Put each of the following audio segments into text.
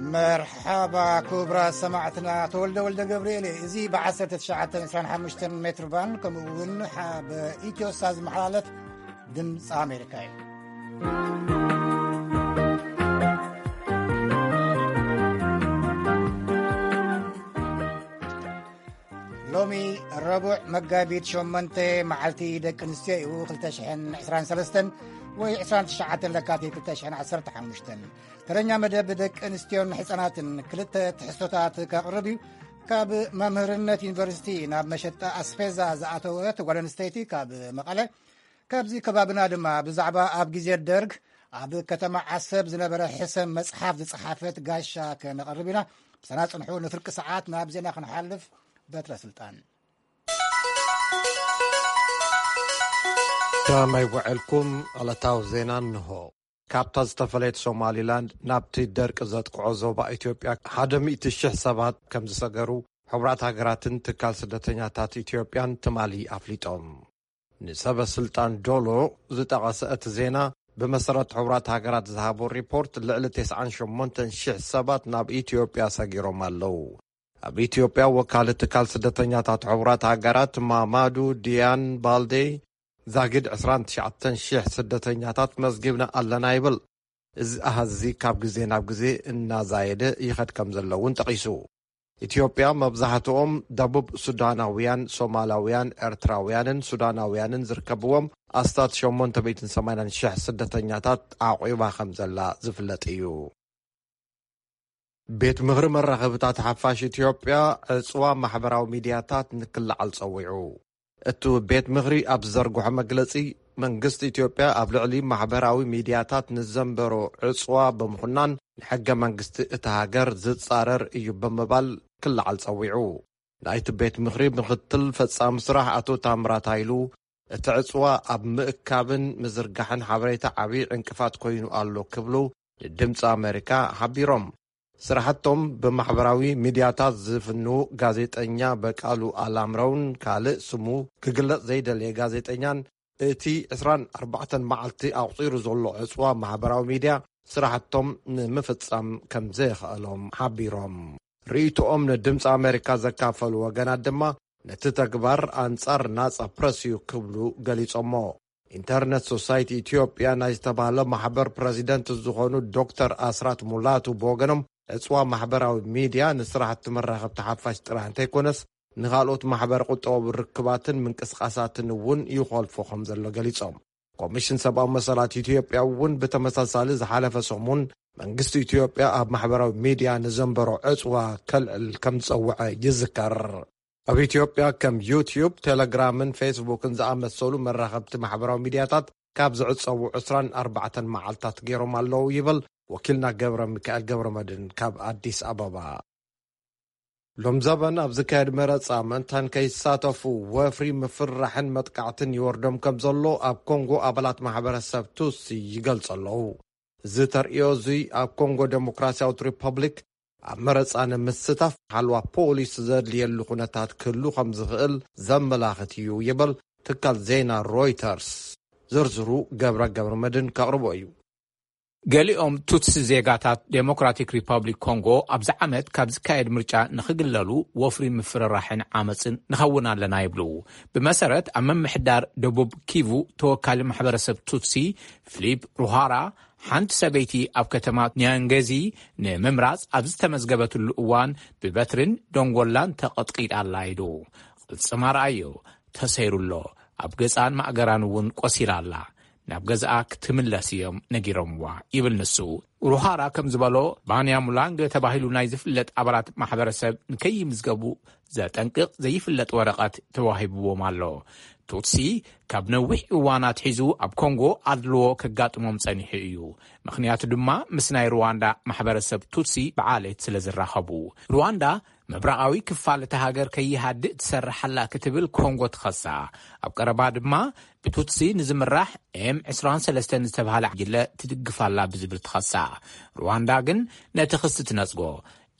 መርሓባ ክቡራት ሰማዕትና፣ ተወልደ ወልደ ገብርኤል እየ። እዚ ብ1925 ሜትር ባንድ ከምኡ እውን ሓ-፣ ብኢትዮ ሳት ዝመሓላለፍ ድምፂ ኣሜሪካ እዩ። ሎሚ ረቡዕ መጋቢት ሸሞንተ መዓልቲ ደቂ ኣንስትዮ እዩ፣ ክልተ ሽሕን ዕስራን ሰለስተን ወይ ዕስራን ትሽዓተን ለካቲት ክልተ ሽሕን ዓሰርተ ሓሙሽተን። ተረኛ መደብ ደቂ ኣንስትዮን ሕፃናትን ክልተ ትሕዝቶታት ከቕርብ እዩ። ካብ መምህርነት ዩኒቨርሲቲ ናብ መሸጣ ኣስፔዛ ዝኣተወት ጓል ኣንስተይቲ ካብ መቐለ፣ ካብዚ ከባብና ድማ ብዛዕባ ኣብ ግዜ ደርግ ኣብ ከተማ ዓሰብ ዝነበረ ሕሰም መጽሓፍ ዝጸሓፈት ጋሻ ከነቕርብ ኢና። ብሰና ጽንሑ፣ ንፍርቂ ሰዓት ናብ ዜና ክንሓልፍ በትረ ስልጣን። ከመይ ውዕልኩም? ዕለታዊ ዜና እንሆ። ካብታ ዝተፈለየት ሶማሊላንድ ናብቲ ደርቂ ዘጥቅዖ ዞባ ኢትዮጵያ ሓደ ሚእቲ ሽሕ ሰባት ከም ዝሰገሩ ሕቡራት ሃገራትን ትካል ስደተኛታት ኢትዮጵያን ትማሊ ኣፍሊጦም። ንሰበ ስልጣን ዶሎ ዝጠቐሰ እቲ ዜና፣ ብመሰረት ሕቡራት ሃገራት ዝሃቦ ሪፖርት፣ ልዕሊ ተስዓን ሸሞንተን ሽሕ ሰባት ናብ ኢትዮጵያ ሰጊሮም ኣለዉ። ኣብ ኢትዮጵያ ወካሊ ትካል ስደተኛታት ሕቡራት ሃገራት ማማዱ ዲያን ባልዴ፣ ዛጊድ ዕስራን ትሽዓተን ሽሕ ስደተኛታት መዝጊብና ኣለና ይብል። እዚ ኣሃዝ እዚ ካብ ግዜ ናብ ግዜ እናዛየደ ይኸድ ከም ዘሎ እውን ጠቒሱ። ኢትዮጵያ መብዛሕትኦም ደቡብ ሱዳናውያን፣ ሶማላውያን፣ ኤርትራውያንን ሱዳናውያንን ዝርከብዎም ኣስታት ሸሞንተ ሚእትን ሰማንያን ሽሕ ስደተኛታት ኣዕቒባ ከም ዘላ ዝፍለጥ እዩ። ቤት ምኽሪ መራኸብታት ሓፋሽ ኢትዮጵያ ዕጽዋ ማሕበራዊ ሚድያታት ንክልዓል ጸዊዑ። እቲ ቤት ምኽሪ ኣብ ዝዘርግሖ መግለጺ፣ መንግስቲ ኢትዮጵያ ኣብ ልዕሊ ማሕበራዊ ሚድያታት ንዘንበሮ ዕጽዋ ብምኹናን፣ ንሕገ መንግስቲ እታ ሃገር ዝጻረር እዩ ብምባል ክልዓል ጸዊዑ። ናይቲ ቤት ምኽሪ ምኽትል ፈጻሚ ስራሕ ኣቶ ታምራት ሃይሉ፣ እቲ ዕጽዋ ኣብ ምእካብን ምዝርጋሕን ሓበሬታ ዓቢ ዕንቅፋት ኮይኑ ኣሎ ክብሉ ንድምፂ ኣሜሪካ ሓቢሮም። ስራሕቶም ብማሕበራዊ ሚድያታት ዝፍንዉ ጋዜጠኛ በቃሉ ኣላምረውን ካልእ ስሙ ክግለጽ ዘይደለየ ጋዜጠኛን፣ እቲ ዕስራን ኣርባዕተን መዓልቲ ኣቑጺሩ ዘሎ ዕጽዋ ማሕበራዊ ሚድያ ስራሕቶም ንምፍጻም ከም ዘየኽእሎም ሓቢሮም። ርእይቶኦም ንድምፂ ኣሜሪካ ዘካፈሉ ወገናት ድማ፣ ነቲ ተግባር ኣንጻር ናጻ ፕረስ እዩ ክብሉ ገሊጾሞ። ኢንተርነት ሶሳይቲ ኢትዮጵያ ናይ ዝተባህለ ማሕበር ፕረዚደንት ዝኾኑ ዶክተር ኣስራት ሙላቱ ብወገኖም፣ ዕጽዋ ማሕበራዊ ሚድያ ንስራሕቲ መራኸብቲ ሓፋሽ ጥራሕ እንተይኮነስ፣ ንኻልኦት ማሕበረ ቁጠባዊ ርክባትን ምንቅስቃሳትን እውን ይኾልፎ ከም ዘሎ ገሊጾም። ኮሚሽን ሰብኣዊ መሰላት ኢትዮጵያ እውን ብተመሳሳሊ ዝሓለፈ ሰሙን፣ መንግስቲ ኢትዮጵያ ኣብ ማሕበራዊ ሚድያ ንዘንበሮ ዕጽዋ ከልዕል ከም ዝጸውዐ ይዝከር። ኣብ ኢትዮጵያ ከም ዩትዩብ፣ ቴሌግራምን ፌስቡክን ዝኣመሰሉ መራኸብቲ ማሕበራዊ ሚድያታት ካብ ዝዕጸዉ ዕስራን ኣርባዕተን መዓልታት ገይሮም ኣለዉ ይብል ወኪልና ገብረ ሚካኤል ገብረ መድህን ካብ ኣዲስ ኣበባ። ሎም ዘበን ኣብ ዝካየድ መረጻ ምእንታን ከይሳተፉ ወፍሪ ምፍርራሕን መጥቃዕትን ይወርዶም ከም ዘሎ ኣብ ኮንጎ ኣባላት ማሕበረሰብ ቱትሲ ይገልጹ ኣለዉ። እዚ ተርእዮ እዙይ ኣብ ኮንጎ ዴሞክራሲያዊት ሪፐብሊክ ኣብ መረጻ ንምስታፍ ሓልዋ ፖሊስ ዘድልየሉ ኩነታት ክህሉ ከም ዝኽእል ዘመላኽት እዩ ይብል ትካል ዜና ሮይተርስ። ዝርዝሩ ገብረ ገብረ መድን ከቕርቦ እዩ። ገሊኦም ቱትሲ ዜጋታት ዴሞክራቲክ ሪፐብሊክ ኮንጎ ኣብዚ ዓመት ካብ ዝካየድ ምርጫ ንኽግለሉ ወፍሪ ምፍርራሕን ዓመፅን ንኸውን ኣለና ይብሉ። ብመሰረት ኣብ ምምሕዳር ደቡብ ኪቩ ተወካሊ ማሕበረሰብ ቱትሲ ፊሊፕ ሩሃራ፣ ሓንቲ ሰበይቲ ኣብ ከተማ ኒያንገዚ ንምምራፅ ኣብ ዝተመዝገበትሉ እዋን ብበትሪን ደንጎላን ተቐጥቂጣ ኣላ ኢሉ። ቅልጽማ ረኣዮ፣ ተሰይሩ ኣሎ። ኣብ ገዛን ማእገራን እውን ቆሲላ ኣላ። ናብ ገዛኣ ክትምለስ እዮም ነጊሮምዋ ይብል ንሱ። ሩሃራ ከም ዝበሎ፣ ባንያ ሙላንገ ተባሂሉ ናይ ዝፍለጥ ኣባላት ማሕበረሰብ ንከይምዝገቡ ዘጠንቅቕ ዘይፍለጥ ወረቐት ተዋሂብዎም ኣሎ። ቱትሲ ካብ ነዊሕ እዋን ኣትሒዙ ኣብ ኮንጎ ኣድልዎ ከጋጥሞም ጸኒሑ እዩ። ምኽንያቱ ድማ ምስ ናይ ሩዋንዳ ማሕበረሰብ ቱትሲ ብዓሌት ስለ ዝራኸቡ። ሩዋንዳ ምብራቓዊ ክፋል እታ ሃገር ከይሃድእ ትሰርሕ ኣላ ክትብል ኮንጎ ትኸሳ። ኣብ ቀረባ ድማ ብቱትሲ ንዝምራሕ ኤም ዕስራን ሰለስተን ዝተባህለ ጉጅለ ትድግፍ ኣላ ብዝብል ትኸሳ። ሩዋንዳ ግን ነቲ ክሲ ትነጽጎ።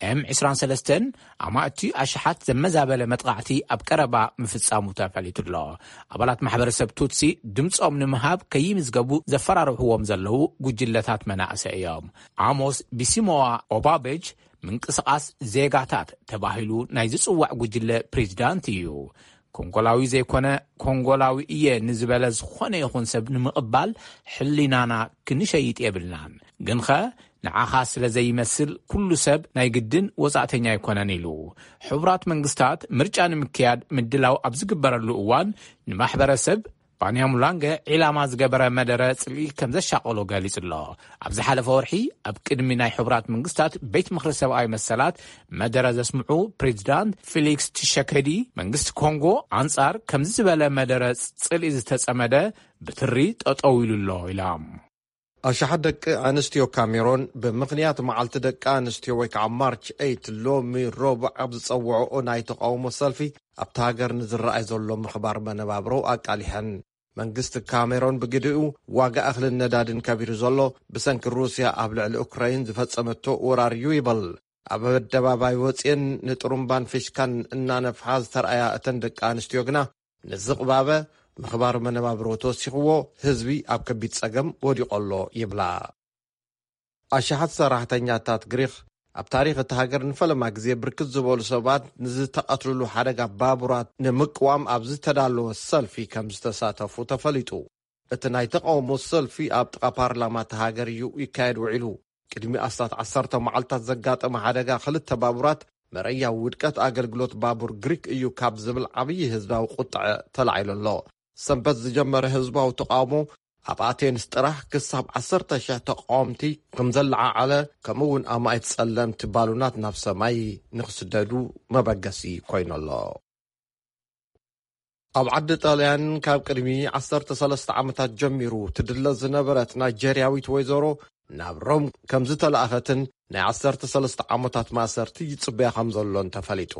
ኤም ዕስራን ሰለስተን ኣማእቲ ኣሽሓት ዘመዛበለ መጥቓዕቲ ኣብ ቀረባ ምፍጻሙ ተፈሊጡ ኣሎ። ኣባላት ማሕበረሰብ ቱትሲ ድምጾም ንምሃብ ከይምዝገቡ ዘፈራርሕዎም ዘለዉ ጉጅለታት መናእሰይ እዮም። ዓሞስ ቢሲሞዋ ኦባበጅ ምንቅስቓስ ዜጋታት ተባሂሉ ናይ ዝጽዋዕ ጉጅለ ፕሬዚዳንት እዩ። ኮንጎላዊ ዘይኮነ ኮንጎላዊ እየ ንዝበለ ዝኾነ ይኹን ሰብ ንምቕባል ሕሊናና ክንሸይጥ የብልናን። ግንኸ ንዓኻ ስለ ዘይመስል ኩሉ ሰብ ናይ ግድን ወጻእተኛ ኣይኮነን ኢሉ። ሕቡራት መንግስታት ምርጫ ንምክያድ ምድላው ኣብ ዝግበረሉ እዋን ንማሕበረሰብ ባንያሙላንገ ዒላማ ዝገበረ መደረ ጽልኢ ከም ዘሻቐሎ ገሊጹ ኣሎ። ኣብ ዝሓለፈ ወርሒ ኣብ ቅድሚ ናይ ሕቡራት መንግስታት ቤት ምኽሪ ሰብኣዊ መሰላት መደረ ዘስምዑ ፕሬዚዳንት ፊሊክስ ቲሸከዲ መንግስቲ ኮንጎ ኣንጻር ከምዚ ዝበለ መደረ ጽልኢ ዝተጸመደ ብትሪ ጠጠው ኢሉ ኣሎ ኢሎም። ኣሽሓት ደቂ ኣንስትዮ ካሜሮን ብምኽንያት መዓልቲ ደቂ ኣንስትዮ ወይ ከዓ ማርች ኤይት ሎሚ ረቡዕ ኣብ ዝጸውዐኦ ናይ ተቃውሞ ሰልፊ ኣብቲ ሃገር ንዝረኣይ ዘሎ ምኽባር መነባብሮ ኣቃሊሐን። መንግስቲ ካሜሮን ብግዲኡ ዋጋ እኽልን ነዳድን ከቢሩ ዘሎ ብሰንኪ ሩስያ ኣብ ልዕሊ ኡክራይን ዝፈጸመቶ ወራር እዩ ይበል። ኣብ ኣደባባይ ወፅየን ንጥሩምባን ፊሽካን እናነፍሓ ዝተረኣያ እተን ደቂ ኣንስትዮ ግና ንዝቕባበ ምኽባር መነባብሮ ተወሲኽዎ ህዝቢ ኣብ ከቢድ ፀገም ወዲቖ ኣሎ ይብላ። ኣሽሓት ሰራሕተኛታት ግሪኽ ኣብ ታሪኽ እቲ ሃገር ንፈለማ ግዜ ብርክት ዝበሉ ሰባት ንዝተቐትልሉ ሓደጋ ባቡራት ንምቅዋም ኣብ ዝተዳለወ ሰልፊ ከም ዝተሳተፉ ተፈሊጡ። እቲ ናይ ተቃውሞ ሰልፊ ኣብ ጥቓ ፓርላማ እቲ ሃገር እዩ ይካየድ ውዒሉ። ቅድሚ ኣስታት ዓሰርተ መዓልታት ዘጋጠመ ሓደጋ ክልተ ባቡራት መረያ ውድቀት ኣገልግሎት ባቡር ግሪክ እዩ ካብ ዝብል ዓብዪ ህዝባዊ ቁጥዐ ተላዒሉ ኣሎ። ሰንበት ዝጀመረ ህዝባዊ ተቃውሞ ኣብ ኣቴንስ ጥራሕ ክሳብ ዓሰርተ ሽሕ ተቃወምቲ ከም ዘለዓዓለ፣ ከምኡ እውን ኣማኢት ጸለምቲ ባሉናት ናብ ሰማይ ንክስደዱ መበገሲ ኮይኑ ኣሎ። ኣብ ዓዲ ጣልያን ካብ ቅድሚ ዓሰርተ ሰለስተ ዓመታት ጀሚሩ ትድለ ዝነበረት ናይጀርያዊት ወይዘሮ ናብ ሮም ከም ዝተላእኸትን ናይ ዓሰርተ ሰለስተ ዓመታት ማእሰርቲ ይጽበያ ከም ዘሎን ተፈሊጡ።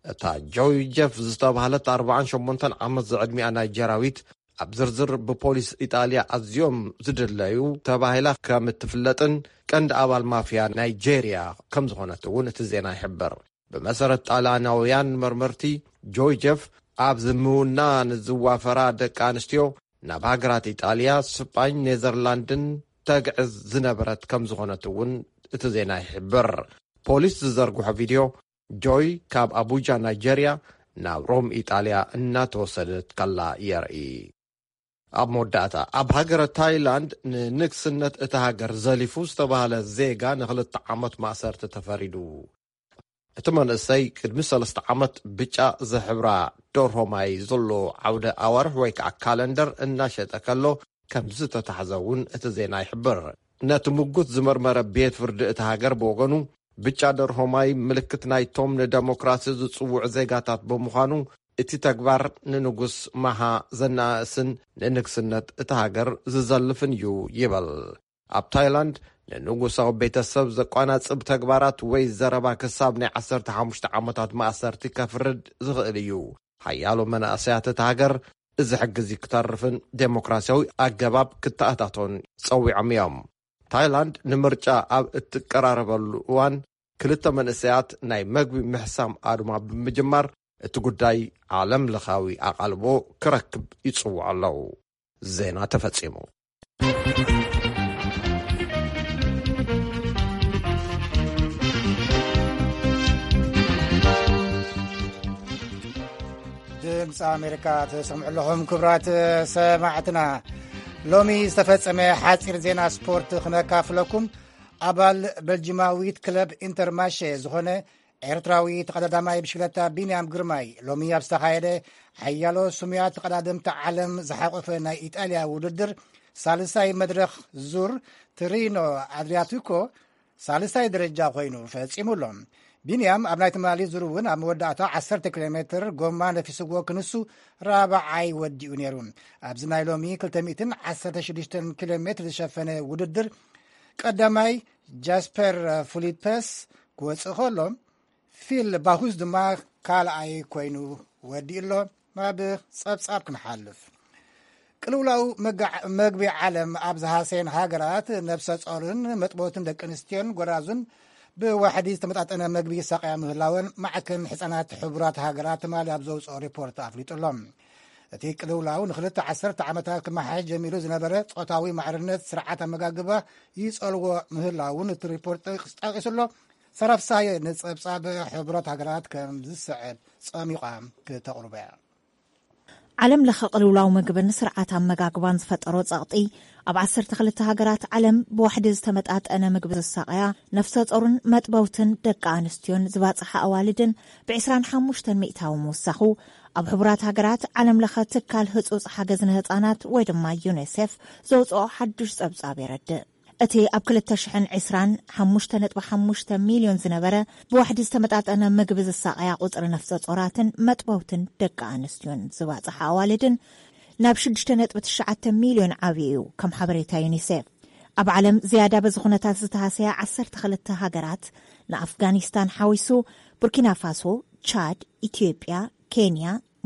እታ ጆይ ጀፍ ዝተባህለት ኣርባዓን ሸሞንተን ዓመት ዝዕድሚኣ ናይጀርያዊት ኣብ ዝርዝር ብፖሊስ ኢጣልያ ኣዝዮም ዝድለዩ ተባሂላ ከም እትፍለጥን ቀንዲ ኣባል ማፍያ ናይጀርያ ከም ዝኾነት እውን እቲ ዜና ይሕብር። ብመሰረት ጣልያናውያን መርመርቲ፣ ጆይ ጀፍ ኣብ ዝምውና ንዝዋፈራ ደቂ ኣንስትዮ ናብ ሃገራት ኢጣልያ፣ ስጳኝ፣ ኔዘርላንድን ተግዕዝ ዝነበረት ከም ዝኾነት እውን እቲ ዜና ይሕብር። ፖሊስ ዝዘርግሖ ቪድዮ ጆይ ካብ ኣቡጃ ናይጀርያ ናብ ሮም ኢጣልያ እናተወሰደት ከላ የርኢ። ኣብ መወዳእታ፣ ኣብ ሃገረ ታይላንድ ንንግስነት እታ ሃገር ዘሊፉ ዝተባህለ ዜጋ ንክልተ ዓመት ማእሰርቲ ተፈሪዱ። እቲ መንእሰይ ቅድሚ ሰለስተ ዓመት ብጫ ዝሕብራ ደርሆ ማይ ዘሎ ዓውደ ኣዋርሕ ወይ ከዓ ካለንደር እናሸጠ ከሎ ከም ዝተታሕዘ እውን እቲ ዜና ይሕብር። ነቲ ምጉት ዝመርመረ ቤት ፍርዲ እቲ ሃገር ብወገኑ፣ ብጫ ደርሆ ማይ ምልክት ናይቶም ንደሞክራሲ ዝጽውዑ ዜጋታት ብምዃኑ፣ እቲ ተግባር ንንጉስ ማሃ ዘናእስን ንንግስነት እቲ ሃገር ዝዘልፍን እዩ ይበል። ኣብ ታይላንድ ንንጉሳዊ ቤተሰብ ዘቋናጽብ ተግባራት ወይ ዘረባ ክሳብ ናይ ዓሰርተ ሓሙሽተ ዓመታት ማእሰርቲ ከፍርድ ዝኽእል እዩ። ሓያሎ መናእሰያት እቲ ሃገር እዚ ሕጊ እዚ ክተርፍን ዴሞክራሲያዊ ኣገባብ ክተኣታቶን ጸዊዖም እዮም። ታይላንድ ንምርጫ ኣብ እትቀራረበሉ እዋን ክልተ መንእሰያት ናይ መግቢ ምሕሳም ኣድማ ብምጅማር እቲ ጉዳይ ዓለም ለኻዊ ኣቓልቦ ክረክብ ይጽውዑ ኣለዉ። ዜና ተፈጺሙ። ድምፂ ኣሜሪካ ትሰምዑ ኣለኹም ክቡራት ሰማዕትና። ሎሚ ዝተፈጸመ ሓፂር ዜና ስፖርት ክነካፍለኩም። ኣባል በልጅማዊት ክለብ ኢንተርማሼ ዝኾነ ኤርትራዊ ተቐዳዳማይ ብሽክለታ ቢንያም ግርማይ ሎሚ ኣብ ዝተኻየደ ሓያሎ ስሙያት ተቐዳደምቲ ዓለም ዝሓቆፈ ናይ ኢጣልያ ውድድር ሳልሳይ መድረኽ ዙር ትሪኖ ኣድሪያቲኮ ሳልሳይ ደረጃ ኮይኑ ፈጺሙ ኣሎ። ቢንያም ኣብ ናይ ትማሊ ዙር እውን ኣብ መወዳእታ ዓሰርተ ኪሎ ሜትር ጎማ ነፊስዎ ክንሱ ራብዓይ ወዲኡ ነይሩ። ኣብዚ ናይ ሎሚ ክልተ ሚእትን ዓሰርተ ሽዱሽተን ኪሎ ሜትር ዝሸፈነ ውድድር ቀዳማይ ጃስፐር ፊሊፐስ ክወጽእ ከሎ፣ ፊል ባሁስ ድማ ካልኣይ ኮይኑ ወዲኡ ኣሎ። ናብ ጸብጻብ ክንሓልፍ። ቅልውላው መጋዕ-፣ መግቢ ዓለም ኣብ ዝሃሰየን ሃገራት ነብሰ ጾርን መጥቦትን ደቂ ኣንስትዮን ጎራዙን ብዋሕዲ ዝተመጣጠነ መግቢ ይሳቀያ ምህላወን ማዕከን ሕፃናት ሕቡራት ሃገራት ትማሊ ኣብ ዘውፅኦ ሪፖርት ኣፍሊጡ ኣሎ። እቲ ቅልውላው ንክልተ ዓሰርተ ዓመታት ክመሓየሽ ጀሚሩ ዝነበረ ጾታዊ ማዕርነት ስርዓት ኣመጋግባ ይጸልዎ ምህላውን እቲ ሪፖርት ጠቂሱ ኣሎ። ሰራፍሳየ ንጸብጻብ ሕቡራት ሃገራት ከም ዝስዕብ ጸሚቋ ክተቕርበያ። ዓለም ለኸ ቅልውላው ምግብን ስርዓት ኣመጋግባን ዝፈጠሮ ጸቕጢ፣ ኣብ ዓሰርተ ክልተ ሃገራት ዓለም ብዋሕዲ ዝተመጣጠነ ምግቢ ዝሳቐያ፣ ነፍሰ ጾርን መጥበውትን ደቂ ኣንስትዮን ዝባጽሓ ኣዋልድን ብ ዕስራን ሓሙሽተን ሚእታዊ ምውሳኹ፣ ኣብ ሕቡራት ሃገራት ዓለም ለኸ ትካል ህጹጽ ሓገዝ ንህጻናት ወይ ድማ ዩኒሴፍ ዘውጽኦ ሓዱሽ ጸብጻብ የረድእ። እቲ ኣብ ክልተ ሽሕን ዕስራን ሓሙሽተ ነጥቢ ሓሙሽተ ሚልዮን ዝነበረ ብዋሕዲ ዝተመጣጠነ ምግቢ ዝሳቐያ ቁጽሪ ነፍሰ ጾራትን መጥበውትን ደቂ ኣንስትዮን ዝባጽሓ ኣዋልድን ናብ ሽዱሽተ ነጥቢ ትሽዓተ ሚልዮን ዓብዩ እዩ፣ ከም ሓበሬታ ዩኒሴፍ። ኣብ ዓለም ዝያዳ በዚ ኩነታት ዝተሃሰያ ዓሰርተ ክልተ ሃገራት፣ ንኣፍጋኒስታን ሓዊሱ፣ ቡርኪና ፋሶ፣ ቻድ፣ ኢትዮጵያ፣ ኬንያ፣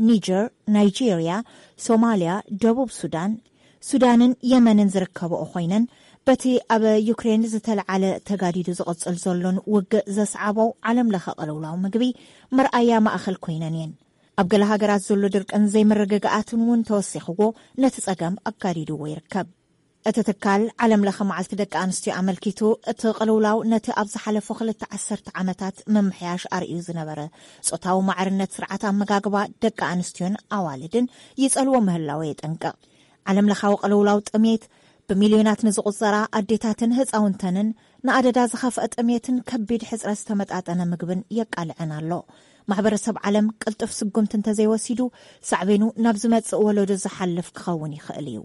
ኒጀር፣ ናይጄርያ፣ ሶማልያ፣ ደቡብ ሱዳን፣ ሱዳንን የመንን ዝርከብኦ ኮይነን፣ በቲ ኣብ ዩክሬን ዝተለዓለ ተጋዲዱ ዝቕጽል ዘሎን ውግእ ዘስዓቦ ዓለም ለኸ ቅልውላው ምግቢ መርኣያ ማእኸል ኮይነን እየን። ኣብ ገለ ሃገራት ዘሎ ድርቅን ዘይምርግጋኣትን እውን ተወሲኽዎ ነቲ ጸገም ኣጋዲድዎ ይርከብ። እቲ ትካል ዓለም ለኸ መዓልቲ ደቂ ኣንስትዮ ኣመልኪቱ፣ እቲ ቅልውላው ነቲ ኣብ ዝሓለፉ ክልተ ዓሰርተ ዓመታት ምምሕያሽ ኣርእዩ ዝነበረ ጾታዊ ማዕርነት ስርዓት ኣመጋግባ ደቂ ኣንስትዮን ኣዋልድን ይጸልዎ ምህላው የጠንቅቕ። ዓለም ለኻዊ ቅልውላው ጥሜት ብሚልዮናት ንዝቑጸራ ኣዴታትን ህጻውንተንን ንኣደዳ ዝኸፍአ ጥሜትን ከቢድ ሕጽረት ዝተመጣጠነ ምግብን የቃልዐን ኣሎ። ማሕበረሰብ ዓለም ቅልጡፍ ስጉምቲ እንተዘይወሲዱ፣ ሳዕቤኑ ናብ ዝመጽእ ወለዶ ዝሓልፍ ክኸውን ይኽእል እዩ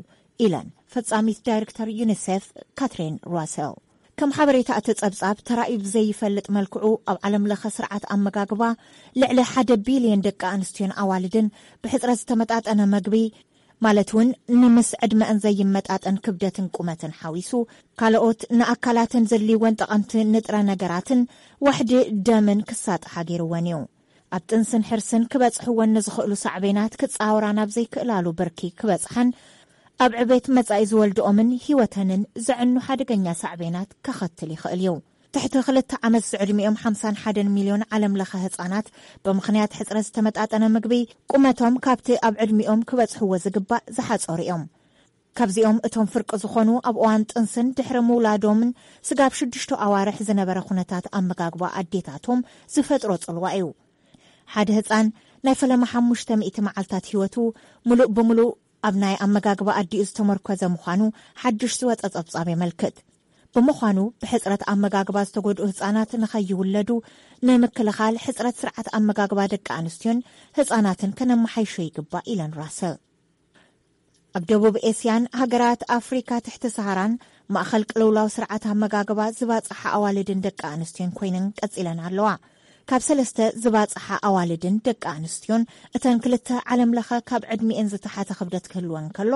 ኢለን ፈጻሚት ዳይሬክተር ዩኒሴፍ ካትሪን ራሰል። ከም ሓበሬታ እቲ ጸብጻብ፣ ተራእዩ ብዘይፈልጥ መልክዑ ኣብ ዓለም ለኸ ስርዓት ኣመጋግባ ልዕሊ ሓደ ቢልዮን ደቂ ኣንስትዮን ኣዋልድን ብሕጽረት ዝተመጣጠነ መግቢ፣ ማለት እውን ንምስ ዕድመአን ዘይመጣጠን ክብደትን ቁመትን ሓዊሱ፣ ካልኦት ንኣካላተን ዘድልይወን ጠቐምቲ ንጥረ ነገራትን ዋሕዲ ደምን ክሳጥሓ ገይርወን እዩ። ኣብ ጥንስን ሕርስን ክበጽሕወን ንዝኽእሉ ሳዕቤናት ክጻወራ ናብ ዘይክእላሉ ብርኪ ክበጽሓን፣ ኣብ ዕቤት መጻኢ ዝወልድኦምን ህይወተንን ዘዕኑ ሓደገኛ ሳዕቤናት ከኸትል ይኽእል እዩ። ትሕቲ ክልተ ዓመት ዝዕድሚኦም ሓምሳን ሓደን ሚልዮን ዓለም ለኸ ህጻናት ብምኽንያት ሕጽረት ዝተመጣጠነ ምግቢ ቁመቶም ካብቲ ኣብ ዕድሚኦም ክበጽሕዎ ዝግባእ ዝሓጸሩ እዮም። ካብዚኦም እቶም ፍርቂ ዝኾኑ ኣብ እዋን ጥንስን ድሕሪ ምውላዶምን ስጋብ ሽዱሽተ ኣዋርሕ ዝነበረ ኩነታት ኣመጋግባ ኣዴታቶም ዝፈጥሮ ጽልዋ እዩ። ሓደ ህጻን ናይ ፈለማ ሓሙሽተ ሚእቲ መዓልታት ህይወቱ ምሉእ ብምሉእ ኣብ ናይ ኣመጋግባ ኣዲኡ ዝተመርኮዘ ምዃኑ ሓድሽ ዝወጸ ጸብጻብ የመልክት። ብምዃኑ ብሕጽረት ኣመጋግባ ዝተጎድኡ ህጻናት ንኸይውለዱ ንምክልኻል ሕጽረት ስርዓት ኣመጋግባ ደቂ ኣንስትዮን ህጻናትን ከነመሓይሾ ይግባእ ኢለን ራሰል። ኣብ ደቡብ ኤስያን ሃገራት ኣፍሪካ ትሕቲ ሰሃራን ማእኸል ቅልውላው ስርዓት ኣመጋግባ ዝባጽሓ ኣዋልድን ደቂ ኣንስትዮን ኮይነን ቀጺለን ኣለዋ። ካብ ሰለስተ ዝባጽሓ ኣዋልድን ደቂ ኣንስትዮን እተን ክልተ ዓለም ለኸ ካብ ዕድሚኤን ዝተሓተ ክብደት ክህልወን ከሎ፣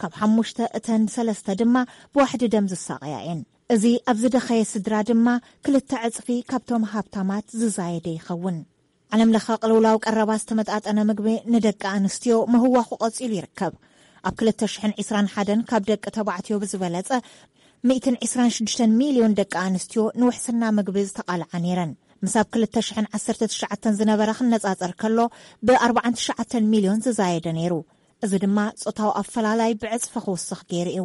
ካብ ሓሙሽተ እተን ሰለስተ ድማ ብዋሕዲ ደም ዝሳቐያ እየን። እዚ ኣብ ዝደኸየ ስድራ ድማ ክልተ ዕጽፊ ካብቶም ሃብታማት ዝዛየደ ይኸውን። ዓለም ለኸ ቅልውላው ቀረባ ዝተመጣጠነ ምግቢ ንደቂ ኣንስትዮ ምህዋኹ ቀጺሉ ይርከብ። ኣብ ክልተ ሽሕን ዕስራን ሓደን ካብ ደቂ ተባዕትዮ ብዝበለጸ ሚእትን ዕስራን ሽዱሽተን ሚልዮን ደቂ ኣንስትዮ ንውሕስና ምግቢ ዝተቓልዓ ነይረን። ምስ ኣብ ክልተ ሽሕን ዓሰርተ ትሽዓተን ዝነበረ ክነጻጸር ከሎ ብኣርባዓን ትሽዓተን ሚልዮን ዝዛየደ ነይሩ። እዚ ድማ ጾታዊ ኣፈላላይ ብዕጽፊ ክውስኽ ገይሩ እዩ።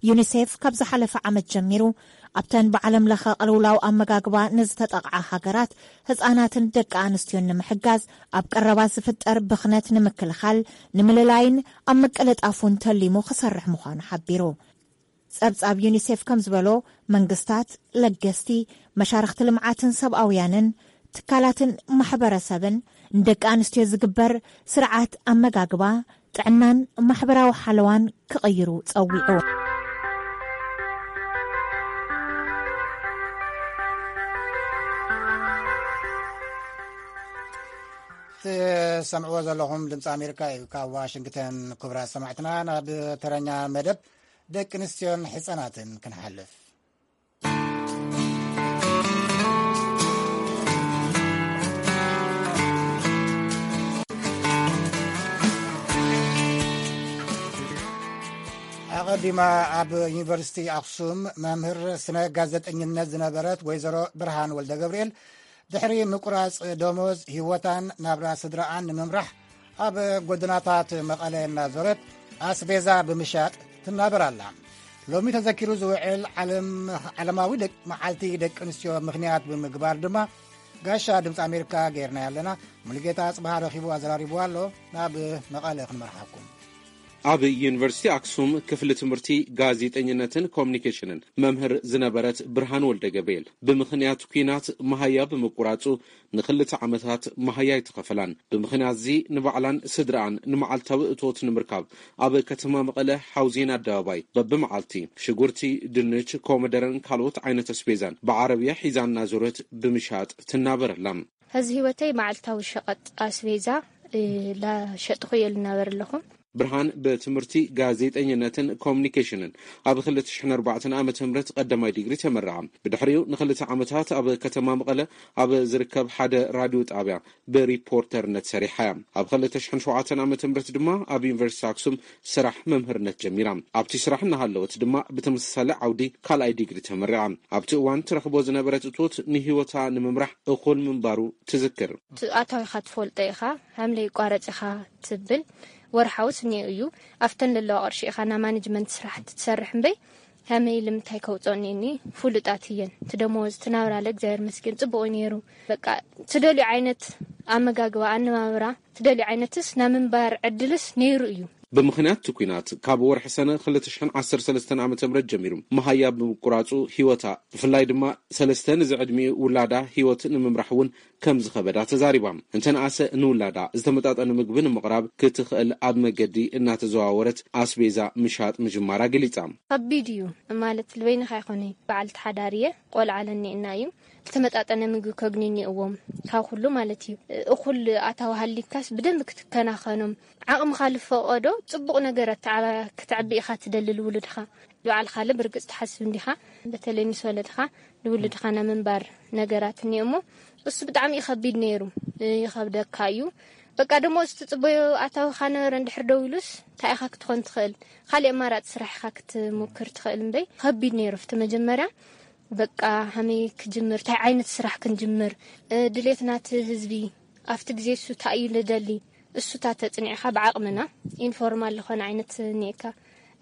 ዩኒሴፍ ካብ ዝሓለፈ ዓመት ጀሚሩ ኣብተን ብዓለም ለኸ ቅልውላው ኣመጋግባ ንዝተጠቕዓ ሃገራት ህጻናትን ደቂ ኣንስትዮን ንምሕጋዝ፣ ኣብ ቀረባ ዝፍጠር ብኽነት ንምክልኻል፣ ንምልላይን ኣብ ምቅልጣፉን ተሊሙ ክሰርሕ ምዃኑ ሓቢሩ። ጸብጻብ ዩኒሴፍ ከም ዝበሎ፣ መንግስታት፣ ለገስቲ፣ መሻርኽቲ ልምዓትን ሰብኣውያንን፣ ትካላትን ማሕበረሰብን ንደቂ ኣንስትዮ ዝግበር ስርዓት ኣመጋግባ፣ ጥዕናን ማሕበራዊ ሓለዋን ክቕይሩ ጸዊዑ። ትሰምዕዎ ዘለኹም ድምፂ ኣሜሪካ እዩ፣ ካብ ዋሽንግተን። ክቡራት ሰማዕትና፣ ናብ ተረኛ መደብ ደቂ ኣንስትዮን ሕፃናትን ክንሓልፍ። ዲማ ኣብ ዩኒቨርሲቲ ኣክሱም መምህር ስነ ጋዜጠኝነት ዝነበረት ወይዘሮ ብርሃን ወልደ ገብርኤል፣ ድሕሪ ምቁራጽ ደሞዝ፣ ህይወታን ናብራ ስድራኣን ንምምራሕ ኣብ ጎደናታት መቐለ እናዞረት ኣስቤዛ ብምሻጥ ትናበር ኣላ። ሎሚ ተዘኪሩ ዝውዕል ዓለም-፣ ዓለማዊ ደቅ-፣ መዓልቲ ደቂ ኣንስትዮ ምኽንያት ብምግባር ድማ፣ ጋሻ ድምፂ ኣሜሪካ ጌርና ያለና ሙሉጌታ ኣጽብሃ ረኺቡ ኣዘራሪቡ ኣሎ። ናብ መቐለ ክንመርሓኩም። ኣብ ዩኒቨርሲቲ ኣክሱም ክፍሊ ትምህርቲ ጋዜጠኝነትን ኮሚኒኬሽንን መምህር ዝነበረት ብርሃን ወልደ ገብርኤል፣ ብምኽንያት ኲናት መሃያ ብምቁራጹ ንኽልተ ዓመታት መሃያ ኣይተኸፈላን። ብምኽንያት እዚ ንባዕላን ስድራኣን ንመዓልታዊ እቶት ንምርካብ ኣብ ከተማ መቐለ ሓውዜን ኣደባባይ በብመዓልቲ ሽጉርቲ፣ ድንች፣ ኮመደረን ካልኦት ዓይነት ኣስቤዛን ብዓረብያ ሒዛ እናዞረት ብምሻጥ ትናበር ኣላ። ሕዚ ህይወተይ መዓልታዊ ሸቐጥ ኣስቤዛ፣ እ፣ ላሸጥኹ እየ ልናበር ኣለኹ። ብርሃን ብትምህርቲ ጋዜጠኝነትን ኮሚኒኬሽንን ኣብ ክልተ ሽሕን ኣርባዕተን ዓመተ ምህረት ቀዳማይ ዲግሪ ተመረቓ። ብድሕሪኡ ንኽልተ ዓመታት ኣብ ከተማ መቐለ ኣብ ዝርከብ ሓደ ራድዮ ጣብያ ብሪፖርተርነት ሰሪሓ እያ። ኣብ ክልተ ሽሕን ሸውዓተን ዓመተ ምህረት ድማ ኣብ ዩኒቨርሲቲ ኣክሱም ስራሕ መምህርነት ጀሚራ። ኣብቲ ስራሕ እናሃለወት ድማ ብተመሳሳሊ ዓውዲ ካልኣይ ዲግሪ ተመሪቓ። ኣብቲ እዋን ትረኽቦ ዝነበረት እቶት ንህይወታ ንምምራሕ እኹል ምንባሩ ትዝክር። እቲ ኣታዊኻ ትፈልጦ ኢኻ፣ ሃምለ ይቋረጽ ኢኻ ትብል። ወርሓዊ ስኒኡ እዩ። ኣብተን ለለዋ ቅርሺ ኢኻ ናይ ማኔጅመንት ስራሕቲ ትሰርሕ እምበይ፣ ከመይ ኢሉ ምንታይ ከውፅኦ እኒአኒ? ፍሉጣት እየን። እቲ ደመወዝ፣ እቲ ናብራ ለ እግዚኣብሔር መስገን ጽቡቕ እዩ ነይሩ። በቃ ትደልዩ ዓይነት ኣመጋግባ፣ ኣነባብራ፣ ትደልዩ ዓይነትስ ናይ ምንባር ዕድልስ ነይሩ እዩ። ብምኽንያት እቲ ኲናት ካብ ወርሒ ሰነ ክልተ ሽሕን ዓሰርተ ሰለስተን ዓመተ ምህረት ጀሚሩ መሃያ ብምቁራጹ ህይወታ፣ ብፍላይ ድማ ሰለስተ ንዝዕድሚኡ ውላዳ ህይወት ንምምራሕ እውን ከም ዝኸበዳ ተዛሪባ። እንተነኣሰ ንውላዳ ዝተመጣጠነ ምግቢ ንምቕራብ ክትኽእል ኣብ መገዲ እናተዘዋወረት ኣስቤዛ ምሻጥ ምጅማራ ገሊጻ። ከቢድ እዩ ማለት፣ ልበይንኻ ይኾነ በዓልቲ ሓዳር እየ፣ ቆልዓ ኣለኒ እና እዩ። ዝተመጣጠነ ምግቢ ከግኒ እኒእዎም፣ ካብ ኩሉ ማለት እዩ። እኹል ኣታዊ ሃሊካስ ብደንብ ክትከናኸኖም፣ ዓቕምኻ ልፈቐዶ ጽቡቕ ነገር ኣተዓባ-፣ ክትዕቢ ኢኻ ትደሊ ልውሉድኻ። ባዕልኻ ለ ብርግጽ ትሓስብ እንዲኻ፣ በተለይ ምስ ወለድኻ ንውሉድኻ ናይ ምንባር ነገራት እኒኦ እሞ፣ እሱ ብጣዕሚ እዩ ከቢድ ነይሩ። ይኸብደካ እዩ። በቃ ደሞ እዚ ትጽበዮ ኣታዊኻ ነበረ፣ እንድሕር ደው ኢሉስ እንታይ ኢኻ ክትኾን ትኽእል? ካሊእ ኣማራጺ ስራሕ ኢኻ ክትሙክር ትኽእል እምበይ፣ ከቢድ ነይሩ ኣብቲ መጀመርያ። በቃ ሃመይ ክጅምር፣ እንታይ ዓይነት ስራሕ ክንጅምር? እ፣ ድሌት ናቲ ህዝቢ ኣብቲ ግዜ እሱ እንታይ እዩ ልደሊ? እሱታት ተጽኒዕኻ ብዓቕምና ኢንፎርማል ዝኾነ ዓይነት እኒኤካ፣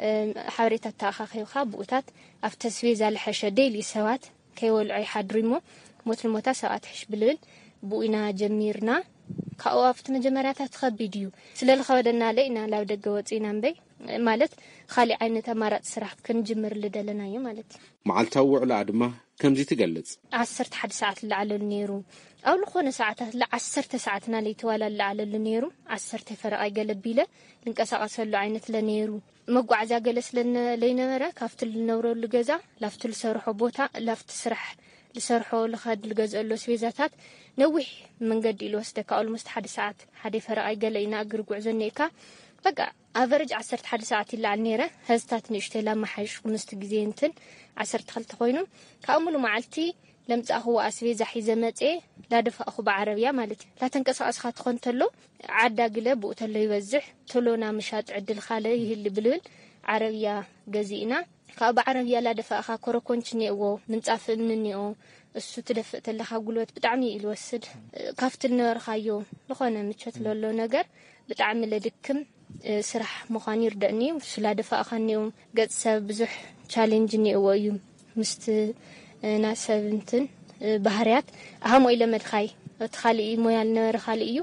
እ፣ ሓበሬታ ተኣኻኺብካ ብኡታት ኣብቲ ኣስቤዛ ልሐሸ ዴይሊ ሰባት ከይበልዑ ይሓድሩ እሞ ሞት ንሞታ ሰብኣት ሕሽ ብልብል ብኡ ኢና ጀሚርና። ካብኡ ኣብቲ መጀመርያታት ከቢድ እዩ። ስለ ልኸበደና ለ ኢና ላብ ደገ ወፂእና እምበይ፣ ማለት ካሊእ ዓይነት ኣማራፂ ስራሕ ክንጅምር ልደለና እዩ ማለት እዩ። መዓልታዊ ውዕሎኣ ድማ ከምዚ ትገልጽ። ዓሰርተ ሓደ ሰዓት ልዓለሉ ነይሩ። ኣብ ልኾነ ሰዓታት ለ ዓሰርተ ሰዓትና ለይተዋላ ልዓለሉ ነይሩ። ዓሰርተ ፈረቓይ ገለ ቢለ ልንቀሳቐሰሉ ዓይነት ለ ነይሩ። መጓዓዝያ ገለ ስለ ነ-፣ ለይነበረ ካብቲ ልነብረሉ ገዛ ላፍቲ ልሰርሖ ቦታ፣ ላፍቲ ስራሕ ልሰርሖ ልኸድ ልገዝአሉ ኣስቤዛታት ነዊሕ መንገዲ እዩ ልወስደካ። ኦልሞስት ሓደ ሰዓት፣ ሓደ ፈረቓይ ገለ እዩ ንእግሪ ጉዕዞ እኒኤካ። በቃ ኣቨረጅ ዓሰርተ ሓደ ሰዓት ይለዓል ነይረ። ሀዝታት ንእሽተይ ላመሓየሽኩ ምስቲ ግዜ እንትን ዓሰርተ ክልተ ኮይኑ፣ ካብ ሙሉ መዓልቲ ለምጻእኽዎ ኣስቤዛ ሒዘ መጽኤ ላደፋእኹ ብዓረብያ ማለት እዩ። ላተንቀሳቐስኻ ትኾን ተሎ ዓዳ ግለ ብኡ ተሎ ይበዝሕ፣ ተሎ ና ምሻጥ ዕድል ካለ ይህሊ ብልብል ዓረብያ ገዚእና። ካብ ብዓረብያ ላደፋእኻ ኮረኮንች እኒኦዎ፣ ምንጻፍ እምኒ እኒኦ፣ እሱ ትደፍእ ተለኻ ጉልበት ብጣዕሚ እዩ ልወስድ። ካብቲ ልነበርካዮ ዝኾነ ምቾት ለሎ ነገር ብጣዕሚ ለድክም፣ እ፣ ስራሕ ምዃኑ ይርደእኒ እዩ። እሱ ላደፋእኻ እኒኦ፣ ገጽ ሰብ ብዙሕ ቻሌንጅ እኒኦዎ እዩ። ምስቲ፣ እ፣ ናይ ሰብ እንትን፣ እ፣ ባህርያት ኣሃሞ ኢለ መድኻይ። እቲ ካሊእ ሞያ ልነበረ ካሊእ እዩ።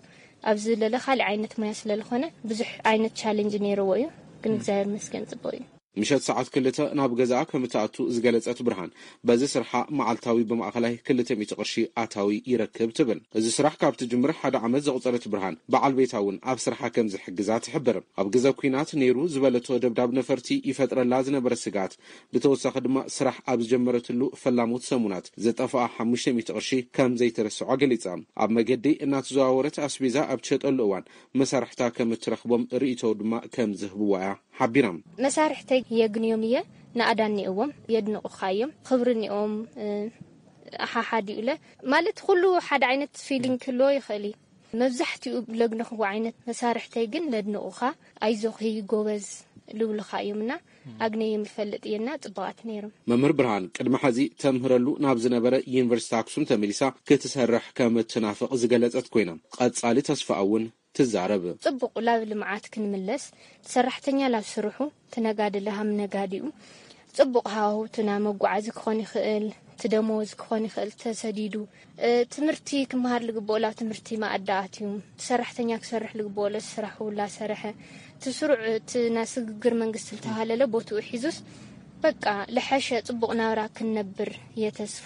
ኣብዚ ለለ ካሊእ ዓይነት ሞያ ስለ ልኾነ ብዙሕ ዓይነት ቻሌንጅ ነይርዎ እዩ። ግን እግዚኣብሔር ይመስገን ጽቡቕ እዩ። ምሸት ሰዓት ክልተ ናብ ገዛኣ ከም እትኣቱ ዝገለጸት ብርሃን፣ በዚ ስርሓ መዓልታዊ ብማእኸላይ ክልተ ሚእቲ ቅርሺ ኣታዊ ይረክብ ትብል። እዚ ስራሕ ካብ ትጅምር ሓደ ዓመት ዘቑጸረት ብርሃን፣ በዓል ቤታ እውን ኣብ ስርሓ ከም ዝሕግዛ ትሕብር። ኣብ ግዘ ኲናት ነይሩ ዝበለቶ ደብዳብ ነፈርቲ ይፈጥረላ ዝነበረ ስግኣት፣ ብተወሳኺ ድማ ስራሕ ኣብ ዝጀመረትሉ ፈላሞት ሰሙናት ዝጠፍኣ ሓሙሽተ ሚእቲ ቅርሺ ከም ዘይትርስዖ ገሊጻ። ኣብ መገዲ እናተዘዋወረት ኣስቤዛ ኣብ ትሸጠሉ እዋን መሳርሕታ ከም እትረኽቦም ርእይቶ ድማ ከም ዝህብዋ እያ ሓቢራ። መሳርሕተይ የግንዮም እየ፣ ንኣዳ እኒኦዎም የድንቑኻ እዮም፣ ክብሪ እኒኦም፣ እ፣ ሓሓዲኡ ለ ማለት ኩሉ ሓደ ዓይነት ፊሊንግ ክህልዎ ይኽእል እዩ። መብዛሕትኡ ለግንኽዎ ዓይነት መሳርሕተይ ግን ለድንቑኻ፣ ኣይዞኺ ጎበዝ ልብሉኻ እዮም እና ኣግነዮም ይፈልጥ እየና ጽቡቓት ነይሮም። መምህር ብርሃን ቅድሚ ሐዚ ተምህረሉ ናብ ዝነበረ ዩኒቨርሲቲ ኣክሱም ተመሊሳ ክትሰርሕ ከም እትናፍቕ ዝገለጸት ኮይና፣ ቀጻሊ ተስፋኣ እውን ትዛረብ። ጽቡቕ ላብ ልምዓት ክንምለስ፣ ሰራሕተኛ ላብ ስርሑ፣ ትነጋዲ ለሃም ነጋዲኡ፣ ጽቡቕ ሃዋሁ ትና መጓዓዚ ክኾን ይኽእል፣ ትደመወዝ ክኾን ይኽእል ተሰዲዱ፣ ትምህርቲ ክመሃር ልግብኦ ላብ ትምህርቲ ማኣዳ ኣትዩ፣ ሰራሕተኛ ክሰርሕ ልግብኦ ለስራሑ ላሰርሐ፣ ትስሩዕ እቲ ናይ ስግግር መንግስቲ ልተባሃለለ ቦትኡ ሒዙስ በቃ ልሐሸ ጽቡቕ ናብራ ክንነብር የተስፉ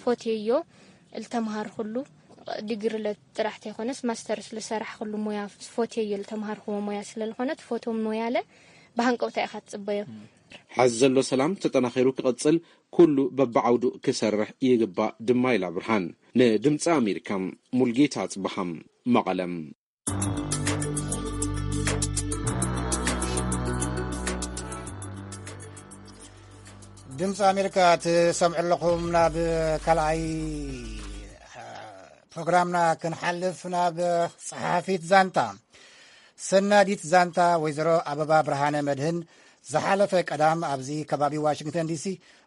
ፎትየዮ ልተምሃርኩሉ ዲግሪ ጥራሕ ተይኮነስ ማስተርስ ልሰራሕኩሉ ሞያ ፎትየዮ ልተምሃርኩዎ ሞያ ስለልኾነ ትፎትዎ ሞያለ ብሃንቀውታ ኢኻ ትጽበዮ። ሐዚ ዘሎ ሰላም ተጠናኺሩ ክቕጽል ኩሉ በብዓውዱ ክሰርሕ ይግባእ ድማ ኢላ ብርሃን። ንድምፂ ኣሜሪካ ሙልጌታ ኣፅበሃም መቐለም። ድምፂ ኣሜሪካ ትሰምዑ ኣለኹም። ናብ ካልኣይ ፕሮግራምና ክንሓልፍ ናብ ፀሓፊት ዛንታ ሰናዲት ዛንታ ወይዘሮ ኣበባ ብርሃነ መድህን ዝሓለፈ ቀዳም ኣብዚ ከባቢ ዋሽንግተን ዲሲ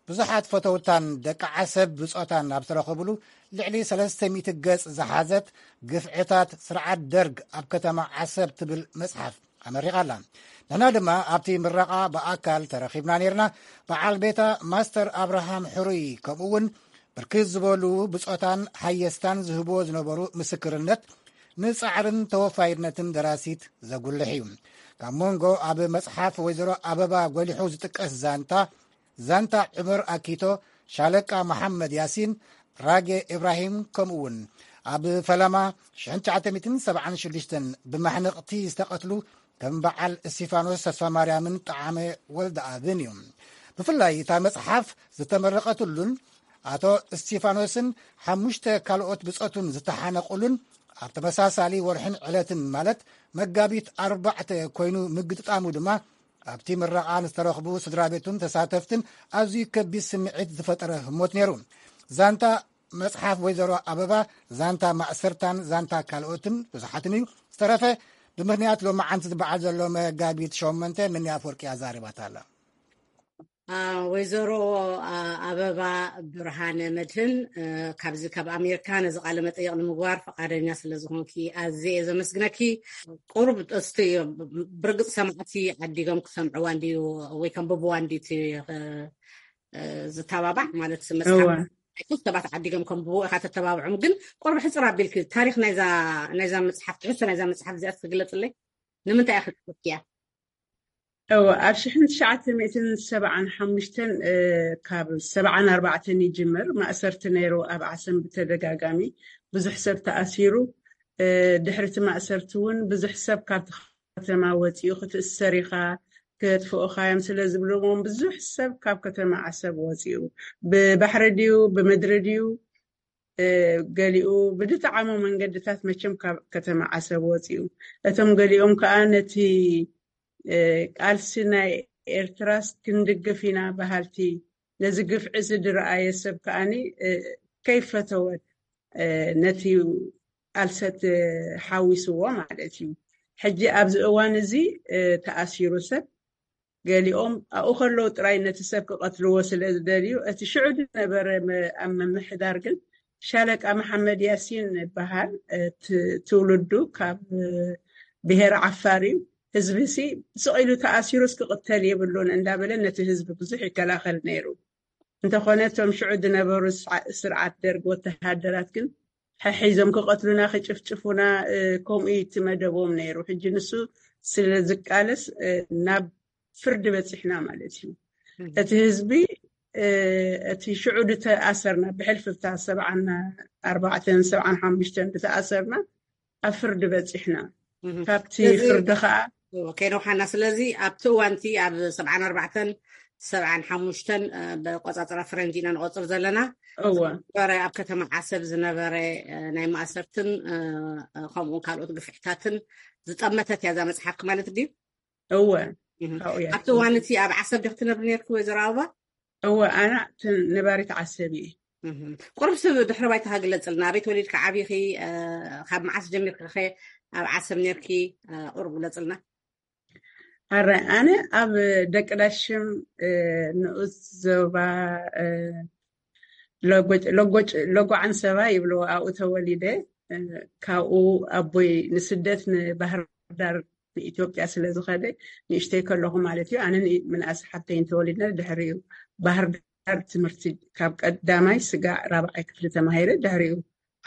ብዙሓት ፈተውታን ደቂ ዓሰብ ብጾታን ኣብ ዝተረኸብሉ ልዕሊ ሰለስተ ሚእቲ ገጽ ዝሓዘት ግፍዕታት ስርዓት ደርግ ኣብ ከተማ ዓሰብ ትብል መጽሓፍ ኣመሪቓ ኣላ። ንሕና ድማ ኣብቲ ምረቓ ብኣካል ተረኺብና ነይርና። በዓል ቤታ ማስተር ኣብርሃም ሕሩይ ከምኡ እውን ብርክት ዝበሉ ብጾታን ሓየስታን ዝህብዎ ዝነበሩ ምስክርነት ንጻዕርን ተወፋይነትን ደራሲት ዘጉልሕ እዩ። ካብ መንጎ ኣብ መጽሓፍ ወይዘሮ ኣበባ ጎሊሑ ዝጥቀስ ዛንታ፣ ዛንታ ዑመር ኣኪቶ፣ ሻለቃ መሓመድ ያሲን፣ ራጌ ኢብራሂም ከምኡ እውን ኣብ ፈለማ ሽሕን ትሽዓተ ሚእትን ሰብዓን ሽዱሽተን ብማሕነቕቲ ዝተቐትሉ ከም በዓል እስቲፋኖስ ተስፋማርያምን ጠዓመ ወልደኣብን እዩ። ብፍላይ እታ መጽሓፍ ዝተመረቐትሉን ኣቶ እስቲፋኖስን ሓሙሽተ ካልኦት ብጾቱን ዝተሓነቑሉን ኣብ ተመሳሳሊ ወርሕን ዕለትን ማለት መጋቢት ኣርባዕተ ኮይኑ ምግጥጣሙ ድማ ኣብቲ ምረቓ ንዝተረኽቡ ስድራ ቤቱን ተሳተፍትን ኣዝዩ ከቢድ ስምዒት ዝፈጠረ ህሞት ነይሩ። ዛንታ መጽሓፍ ወይዘሮ ኣበባ ዛንታ ማእሰርታን ዛንታ ካልኦትን ብዙሓትን እዩ። ዝተረፈ ብምኽንያት ሎማዓንቲ ዝበዓል ዘሎ መጋቢት ሸሞንተ ነኒ ኣፈወርቂ ኣዛሪባታ ኣላ። ወይዘሮ ኣበባ ብርሃነ መድህን፣ ካብዚ ካብ ኣሜሪካ ነዚ ቃለ መጠይቕ ንምግባር ፈቓደኛ ስለ ዝኾንኪ ኣዝየ እየ ዘመስግነኪ። ቁሩብ እስቲ ብርግፅ ሰማዕቲ ዓዲጎም ክሰምዕዋ እንድዩ ወይ ከንብብዋ እንድዩ እቲ ዝተባባዕ ማለት መፅሓፍ ሰባት ዓዲጎም ከንብቡ ኢኻ ተተባብዖም። ግን ቁሩብ ሕፅር ኣቢልኪ ታሪክ ናይዛ ናይዛ መፅሓፍ ትሕዝቶ ናይዛ መፅሓፍ እዚኣ ትግለፅለይ ንምንታይ ኢኻ ክትፍትያ? እወ ኣብ ሽሕን ትሽዓተ ሚእትን ሰብዓን ሓሙሽተን ካብ ሰብዓን ኣርባዕተን ይጅምር። ማእሰርቲ ነይሩ ኣብ ዓሰብ ብተደጋጋሚ ብዙሕ ሰብ ተኣሲሩ። ድሕሪ እቲ ማእሰርቲ እውን ብዙሕ ሰብ ካብቲ ከተማ ወፂኡ ክትእሰር ኢኻ ክጥፍኡኻ እዮም ስለ ዝብልዎም ብዙሕ ሰብ ካብ ከተማ ዓሰብ ወፂኡ ብባሕሪ ድዩ ብምድሪ ድዩ ገሊኡ ብዝጠዓሞ መንገድታት መቸም ካብ ከተማ ዓሰብ ወፂኡ። እቶም ገሊኦም ከዓ ነቲ ቃልሲ ናይ ኤርትራስ ክንድግፍ ኢና በሃልቲ ነዚ ግፍዒ እዚ ዝረኣየ ሰብ ከዓኒ ከይፈተወ ነቲ ቃልሰት ሓዊስዎ ማለት እዩ። ሕጂ ኣብዚ እዋን እዚ ተኣሲሩ ሰብ ገሊኦም ኣብኡ ከለዉ ጥራይ ነቲ ሰብ ክቐትልዎ ስለ ዝደልዩ እቲ ሽዑ ዝነበረ ኣብ ምምሕዳር ግን ሻለቃ መሓመድ ያሲን ይበሃል። ትውልዱ ካብ ብሄር ዓፋር እዩ። ህዝቢ ሲ ስቕ ኢሉ ተኣሲሩስ ክቕተል የብሉን እንዳበለ ነቲ ህዝቢ ብዙሕ ይከላኸል ነይሩ። እንተኾነ እቶም ሽዑ ዝነበሩ ስርዓት ደርግ ወተሃደራት ግን ሕሒዞም ክቐትሉና ክጭፍጭፉና ከምኡ እዩ እቲ መደቦም ነይሩ። ሕጂ ንሱ ስለ ዝቃለስ ናብ ፍርዲ በፂሕና ማለት እዩ። እቲ ህዝቢ እቲ ሽዑ ዝተኣሰርና ብሕልፍታ ሰብዓን ኣርባዕተን ሰብዓን ሓሙሽተን ዝተኣሰርና ኣብ ፍርዲ በፂሕና። ካብቲ ፍርዲ ከዓ ከይነውሓና ስለዚ ኣብቲ እዋንቲ ኣብ ሰብዓን ኣርባዕተን ሰብዓን ሓሙሽተን ብቆፃፅራ ፈረንጂ ኢና ንቆፅር ዘለና። እወ ዝነበረ ኣብ ከተማ ዓሰብ ዝነበረ ናይ ማእሰርትን ከምኡውን ካልኦት ግፍዕታትን ዝጠመተት እያ እዛ መፅሓፍኪ ማለት ድዩ? እወ ኣብቲ እዋን እቲ ኣብ ዓሰብ ዲክ ትነብሪ ነርኪ ወይዘሮ ኣበባ? እወ ኣነ ነባሪት ዓሰብ እየ። ቁሩብ ስብ ድሕሪ ባይታኻ ግለፅልና፣ ኣበይ ተወሊድካ ዓብኺ? ካብ መዓስ ጀሚርካ ኸ ኣብ ዓሰብ ነርኪ? ቁሩብ ግለፅልና። ኣረ ኣነ ኣብ ደቂ ዳሽም ንኡስ ዞባ ሎጎ ዓንሰባ ይብልዎ ኣብኡ ተወሊደ። ካብኡ ኣቦይ ንስደት ንባህር ዳር ንኢትዮጵያ ስለ ዝኸደ ንእሽተይ ከለኹ ማለት እዩ ኣነ ምንኣስ ሓተይን ተወሊድና ድሕሪኡ ባህር ዳር ትምህርቲ ካብ ቀዳማይ ስጋዕ ራብዓይ ክፍሊ ተማሂረ ድሕሪኡ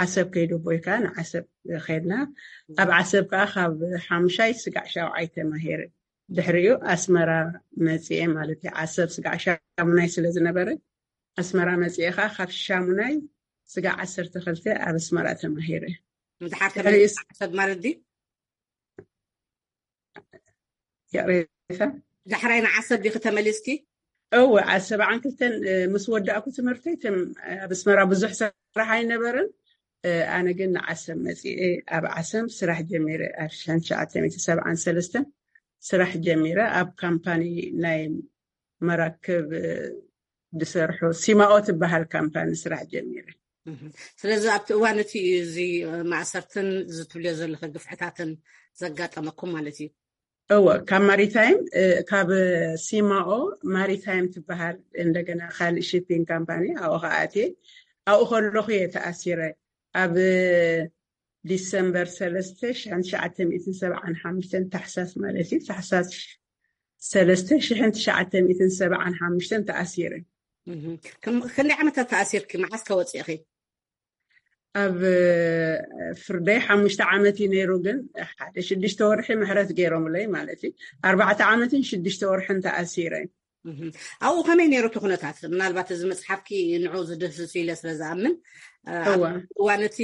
ዓሰብ ከይዱ ኣቦይ ከዓ ንዓሰብ ከድና ኣብ ዓሰብ ከዓ ካብ ሓሙሻይ ስጋዕ ሻውዓይ ተማሂረ ድሕሪኡ ኣስመራ መፅኤ ማለት እዩ ዓሰብ ስጋዕ ሻሙናይ ስለ ዝነበረ ኣስመራ መፅኤ ከዓ ካብ ሻሙናይ ስጋዕ ዓሰርተ ክልተ ኣብ ኣስመራ ተማሂረ ምድሓር ተመሊስካ ዓሰብ ማለት ድዩ ይቕሬታ ዳሕራይ ንዓሰብ ዲኺ ተመሊስኪ እወ ኣብ ሰብዓን ክልተን ምስ ወዳእኩ ትምህርተይ ኣብ ኣስመራ ብዙሕ ስራሕ ኣይነበረን ኣነ ግን ንዓሰብ መፂኤ ኣብ ዓሰብ ስራሕ ጀሚረ ኣብ ሽሕን ትሽዓተ ሚእትን ሰብዓን ሰለስተን ስራሕ ጀሚረ ኣብ ካምፓኒ ናይ መራክብ ዝሰርሑ ሲማኦ ትበሃል ካምፓኒ ስራሕ ጀሚረ ስለዚ ኣብቲ እዋን እቲ እዩ እዚ ማእሰርትን ዝትብልዮ ዘለኸ ግፍዕታትን ዘጋጠመኩም ማለት እዩ እወ ካብ ማሪታይም ካብ ሲማኦ ማሪታይም ትበሃል እንደገና ካልእ ሺፒንግ ካምፓኒ ኣብኡ ከኣትየ ኣብኡ ከለኹ እየ ተኣሲረ ኣብ ዲሰምበር ሰለስተ ሽሕን ትሽዓተ ሚእትን ሰብዓን ሓሙሽተን ታሕሳስ ማለት እዩ ታሕሳስ ሰለስተ ሽሕን ትሽዓተ ሚእትን ሰብዓን ሓሙሽተን ተኣሲረ ክንደይ ዓመታት ተኣሲርኪ መዓስ ከወፅእኺ ኣብ ፍርደይ ሓሙሽተ ዓመት እዩ ነይሩ ግን ሓደ ሽዱሽተ ወርሒ ምሕረት ገይሮምለይ ማለት እዩ ኣርባዕተ ዓመትን ሽዱሽተ ወርሕን ተኣሲረ ኣብኡ ከመይ ነይሩ እቲ ኩነታት ምናልባት እዚ መፅሓፍኪ ንዑ ዝድህስሱ ኢለ ስለ ዝኣምን እዋን እቲ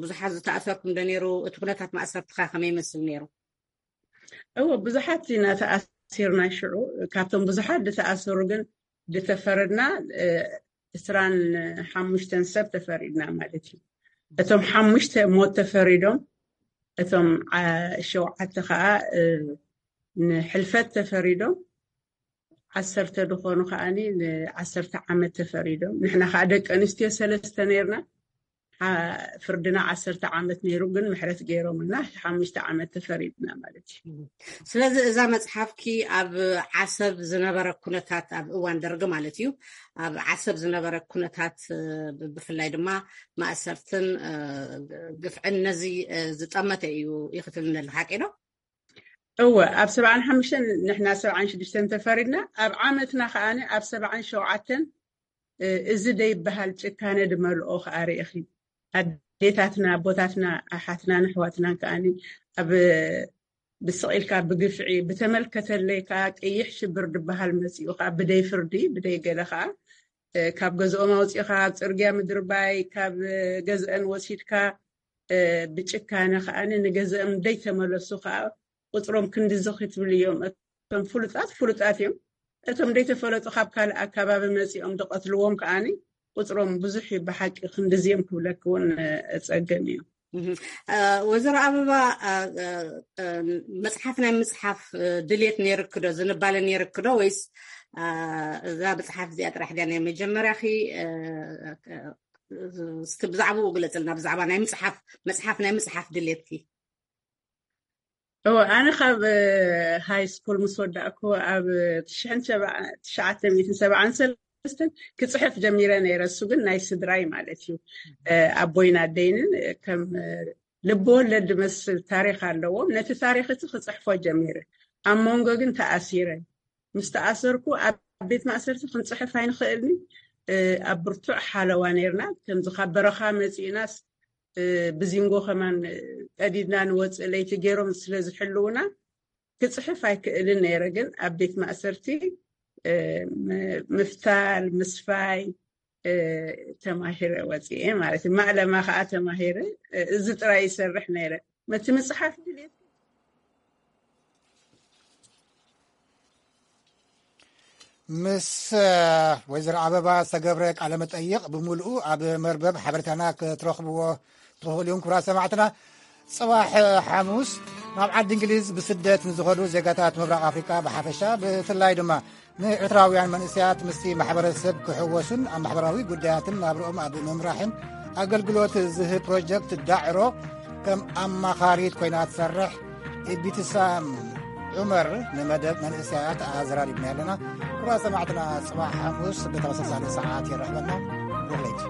ብዙሓት ዝተኣሰርኩም ዶ ነይሩ እቲ ኩነታት ማእሰርትካ ከመይ ይመስል ነይሩ እወ ብዙሓት ኢና ተኣሲርና ሽዑ ካብቶም ብዙሓት ዝተኣሰሩ ግን ዝተፈረድና እስራን ሓሙሽተን ሰብ ተፈሪድና ማለት እዩ እቶም ሓሙሽተ ሞት ተፈሪዶም እቶም ሸውዓተ ከዓ ንሕልፈት ተፈሪዶም ዓሰርተ ዝኾኑ ከዓኒ ንዓሰርተ ዓመት ተፈሪዶም ንሕና ከዓ ደቂ ኣንስትዮ ሰለስተ ነርና ፍርድና ዓሰርተ ዓመት ነይሩ ግን ምሕረት ገይሮምልና ሓሙሽተ ዓመት ተፈሪድና ማለት እዩ ስለዚ እዛ መፅሓፍኪ ኣብ ዓሰብ ዝነበረ ኩነታት ኣብ እዋን ደርጊ ማለት እዩ ኣብ ዓሰብ ዝነበረ ኩነታት ብፍላይ ድማ ማእሰርትን ግፍዕን ነዚ ዝጠመተ እዩ ይክትልነሉ ሓቂ ዶ እወ ኣብ ሰብዓን ሓሙሽተን ንሕና ሰብዓን ሽዱሽተን ተፈሪድና ኣብ ዓመትና ከዓ ኣብ ሰብዓን ሸውዓተን እዚ ደይበሃል ጭካነ ድመልኦ ከዓ ርኢኺ ኣዴታትና ኣቦታትና ኣሓትና ንሕዋትና ከዓ ኣብ ብስቕ ኢልካ ብግፍዒ ብተመልከተለይ ከዓ ቅይሕ ሽብር ድበሃል መፂኡ ከዓ ብደይ ፍርዲ ብደይ ገለ ከዓ ካብ ገዝኦም ኣውፂእካ ኣብ ፅርግያ ምድርባይ ካብ ገዝአን ወሲድካ ብጭካነ ከዓ ንገዝኦም ደይተመለሱ ከዓ ቁፅሮም ክንድዚ ክትብል እዮም እቶም ፍሉጣት ፍሉጣት እዮም እቶም ደይተፈለጡ ካብ ካልእ ኣካባቢ መፂኦም ዝቐትልዎም ከዓ ቁፅሮም ብዙሕ እዩ ብሓቂ ክንድዚ እዮም ክብለክ እውን እፀገም እዩ ወይዘሮ ኣበባ መፅሓፍ ናይ ምፅሓፍ ድልየት ነይርክዶ ዝንባለ ነይርክዶ ወይስ እዛ መፅሓፍ እዚኣ ጥራሕ ድያ ናይ መጀመርያኺ እስቲ ብዛዕባኡ ግለፅልና ብዛዕባ ናይ ምፅሓፍ መፅሓፍ ናይ ምፅሓፍ ድልየትኪ እወ ኣነ ካብ ሃይ ስኩል ምስ ወዳእኩ ኣብ ትሽዓተ ሚእትን ሰብዓን ሰለስተን ክፅሕፍ ጀሚረ ነይረ እሱ ግን ናይ ስድራይ ማለት እዩ ኣቦይን ኣደይንን ከም ልቢ ወለድ ዝመስል ታሪክ ኣለዎም ነቲ ታሪክ እቲ ክፅሕፎ ጀሚረ ኣብ መንጎ ግን ተኣሲረ ምስ ተኣሰርኩ ኣብ ቤት ማእሰርቲ ክንፅሕፍ ኣይንኽእልን ኣብ ብርቱዕ ሓለዋ ነይርና ከምዚ ካብ በረኻ መፂእናስ ብዚንጎ ከማን ቀዲድና ንወፅእ ለይቲ ገይሮም ስለ ዝሕልውና ክፅሕፍ ኣይክእልን ነይረ ግን ኣብ ቤት ማእሰርቲ ምፍታል ምስፋይ ተማሂረ ወፅኤ ማለት እዩ ማዕለማ ከዓ ተማሂረ እዚ ጥራይ ይሰርሕ ነይረ መቲ ምፅሓፍ ድልየት ምስ ወይዘሮ ኣበባ ዝተገብረ ቃለ መጠይቕ ብምሉኡ ኣብ መርበብ ሓበሬታና ክትረኽብዎ ትኽእሉ እዮም ክቡራት ሰማዕትና። ጽባሕ ሓሙስ ናብ ዓዲ እንግሊዝ ብስደት ንዝኸዱ ዜጋታት ምብራቕ ኣፍሪቃ ብሓፈሻ ብፍላይ ድማ ንኤርትራውያን መንእሰያት ምስቲ ማሕበረሰብ ክሕወሱን ኣብ ማሕበራዊ ጉዳያትን ናብርኦም ኣብ ምምራሕን ኣገልግሎት ዝህብ ፕሮጀክት ዳዕሮ ከም ኣማኻሪት ኮይና ትሰርሕ ኢቢትሳም ዑመር ንመደብ መንእሰያት ኣዘራሪብና ኣለና። ክቡራት ሰማዕትና፣ ጽባሕ ሓሙስ ብተመሳሳሊ ሰዓት የራኽበና። ጉድ ለይቲ።